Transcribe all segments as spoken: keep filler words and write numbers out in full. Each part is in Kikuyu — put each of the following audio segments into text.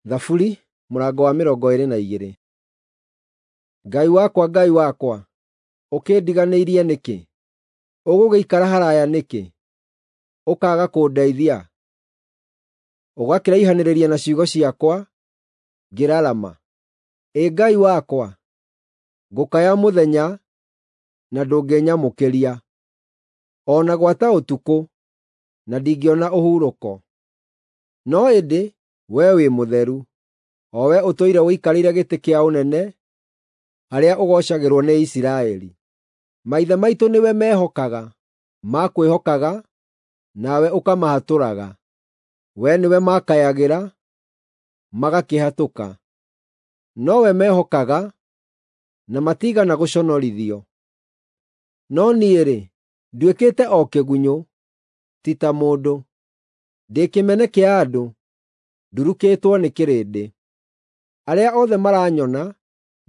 Thaburi mũrango wa mĩrongo ĩĩrĩ na igĩrĩ. Ngai wakwa, Ngai wakwa, ũkĩndiganĩirie nĩkĩ? Ũgũgĩikara haraaya nĩkĩ, ũkaaga kũndeithia? Ũgakĩraihanĩrĩria na ciugo ciakwa, ngĩrarama. Ĩ Ngai wakwa, ngũkaya mũthenya, na ndũngĩnyamũkĩria, o na gwata ũtukũ, na ndingĩona ũhurũko. No ĩndĩ wee wĩ mũtheru, o wee ũtũire ũikarĩire gĩtĩ kĩa ũnene harĩa ũgoocagĩrwo nĩ Isiraeli. Maithe maitũ nĩwe meehokaga, makwĩhokaga, nawe ũkamahatũraga. Wee nĩwe maakayagĩra, magakĩhatũka. Nowe meehokaga, na matiigana gũconorithio. No niĩ-rĩ, nduĩkĩte o kĩgunyũ, ti ta mũndũ. Ndĩ kĩmene kĩa andũ, ndurukĩtwo nĩ kĩrĩndĩ. Arĩa othe maranyona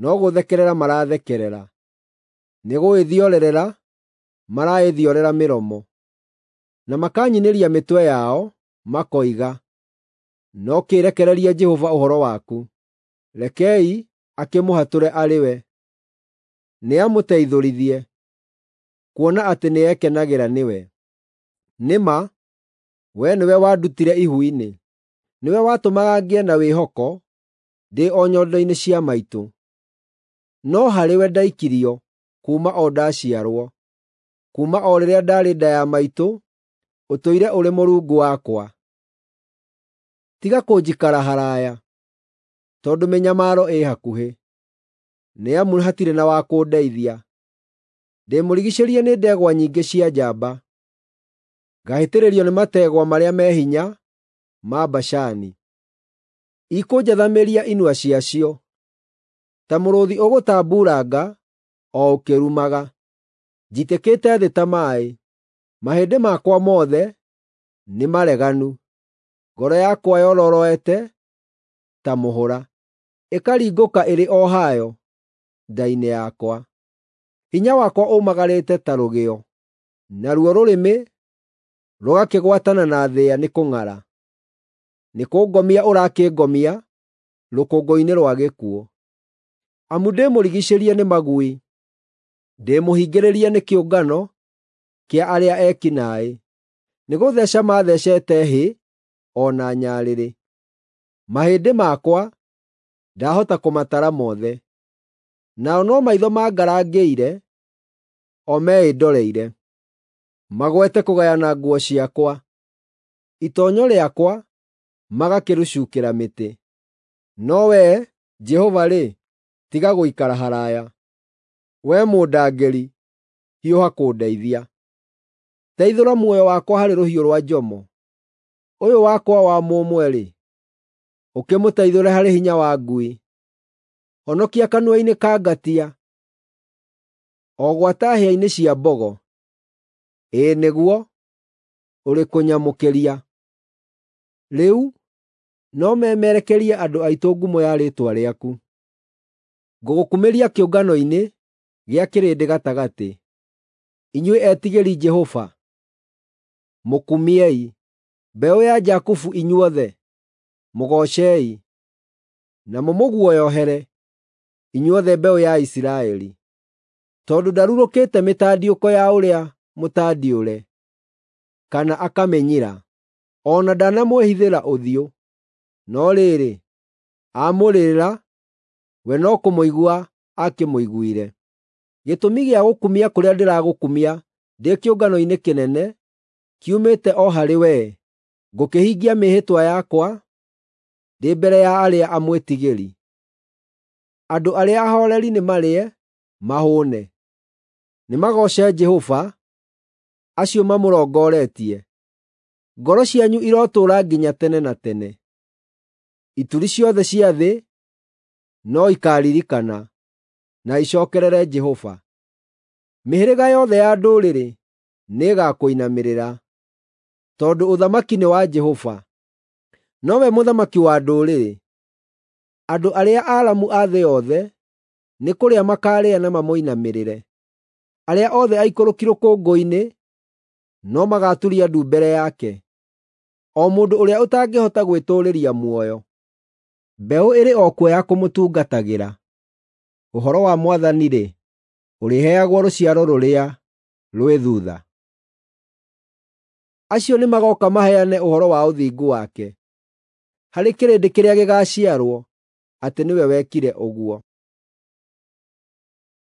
no gũũthekerera marathekerera, nĩgũĩthiorerera maraĩthiorera mĩromo, na makanyinĩria mĩtwe yao, makoiga, “No kĩrekererie Jehova ũhoro waku; rekei akĩmũhatũre arĩ we. Nĩamũteithũrithie, kuona atĩ nĩekenagĩra nĩwe.” Nĩ ma, wee nĩwe wandutire ihu-inĩ; nĩwe watũmaga ngĩe na wĩhoko ndĩ o nyondo-inĩ cia maitũ. No harĩwe ndaikirio kuuma o ndaciarwo; kuuma o rĩrĩa ndaarĩ nda ya maitũ ũtũire ũrĩ Mũrungu wakwa. Tiga kũnjikara haraaya, tondũ mĩnyamaro ĩ hakuhĩ, nĩ amu hatirĩ na wa kũndeithia. Ndĩmũrigiicĩrie nĩ ndegwa nyingĩ cia njamba, ngahĩtĩrĩrio nĩ mategwa marĩa me hinya ma Bashani. Ikũnjathamĩria inua ciacio ta mũrũũthi ũgũtambuuranga o ũkĩrumaga. Njitĩkĩte thĩ ta maaĩ, mahĩndĩ makwa mothe nĩmareganu. Ngoro yakwa yororoete ta mũhũra, ĩkaringũka ĩrĩ o hayo nda-inĩ yakwa. Hinya wakwa ũmagarĩte ta rũgĩo, naruo rũrĩmĩ rũgakĩgwatana na thĩa nĩ kũng'ara. Nĩkũngomia ũrakĩngomia rũkũngũ-inĩ rwa gĩkuũ. Amu ndĩmũrigiicĩrie nĩ magui, ndĩmũhingĩrĩrie nĩ kĩũngano kĩa arĩa eki naaĩ. Nĩgũtheeca maatheecete hĩ o na nyarĩrĩ. Mahĩndĩ makwa ndahota kũmatara mothe. Nao no maitho mangarangĩire, o meĩndoreire. Magwete kũgayana nguo ciakwa, itoonyo rĩakwa magakĩrĩcuukĩra mĩtĩ. No Wee, Jehova-rĩ, tiga gũikara haraaya; Wee mũndangĩri, hiũha kũndeithia. Teithũra muoyo wakwa harĩ rũhiũ rwa njomo, ũyũ wakwa wa mũmwe-rĩ, ũkĩmũteithũre harĩ hinya wa ngui. Honokia kanua-inĩ ka ngatia, o gwata hĩa-inĩ cia mbogo. Ĩĩ nĩguo, ũrĩ kũnyamũkĩria. Rĩu no memerekerie andũ aitũ ngumo ya rĩĩtwa rĩaku. Ngũgũkumĩria kĩũngano-inĩ gĩa kĩrĩndĩ gatagatĩ. Inyuĩ etigĩri Jehova, mũkumiei. Mbeũ ya Jakubu inyuothe, mũgoocei, na mũmũguoyohere, inyuothe mbeũ ya Isiraeli. Tondũ ndarurũkĩte mĩtandiũko ya ũrĩa mũtandiũre, kana akamĩnyira, o na ndanamwĩhithĩra ũthiũ. No rĩrĩ, aamũrĩrĩra, we no kũmũigua aakĩmũiguire. Gĩtũmi gĩa gũkumia kũrĩa ndĩragũkumia ndĩ kĩũngano-inĩ kĩnene kiumĩte o harĩ wee; ngũkĩhingia mĩĩhĩtwa yakwa ndĩ mbere ya arĩa amwĩtigĩri. Andũ arĩa ahooreri nĩmarĩe, mahũũne; nĩmagooce Jehova, acio mamũrongoretie. Ngoro cianyu irotũũra nginya tene na tene. Ituri ciothe cia thĩ no ikaaririkana na icookerere Jehova. Mĩhĩrĩga yothe ya ndũrĩrĩ nĩĩgakũinamĩrĩra, tondũ ũthamaki nĩ wa Jehova, nowe mũthamaki wa ndũrĩrĩ. Andũ arĩa aaramu a thĩ yothe nĩ kũrĩa makaarĩa na mamũinamĩrĩre. Arĩa othe aikũrũki rũkũngũ-inĩ no magaaturia ndu mbere yake, o mũndũ ũrĩa ũtangĩhota gwĩtũũrĩria muoyo. Mbeũ ĩrĩ o kuo ya kũmũtungatagĩra. Ũhoro wa Mwathani-rĩ, ũrĩheagwo rũciaro rũrĩa rwĩ thuutha. Acio nĩmagooka maheane ũhoro wa ũthingu wake harĩ kĩrĩndĩ kĩrĩa gĩgaaciarwo, atĩ nĩwe wekire ũguo.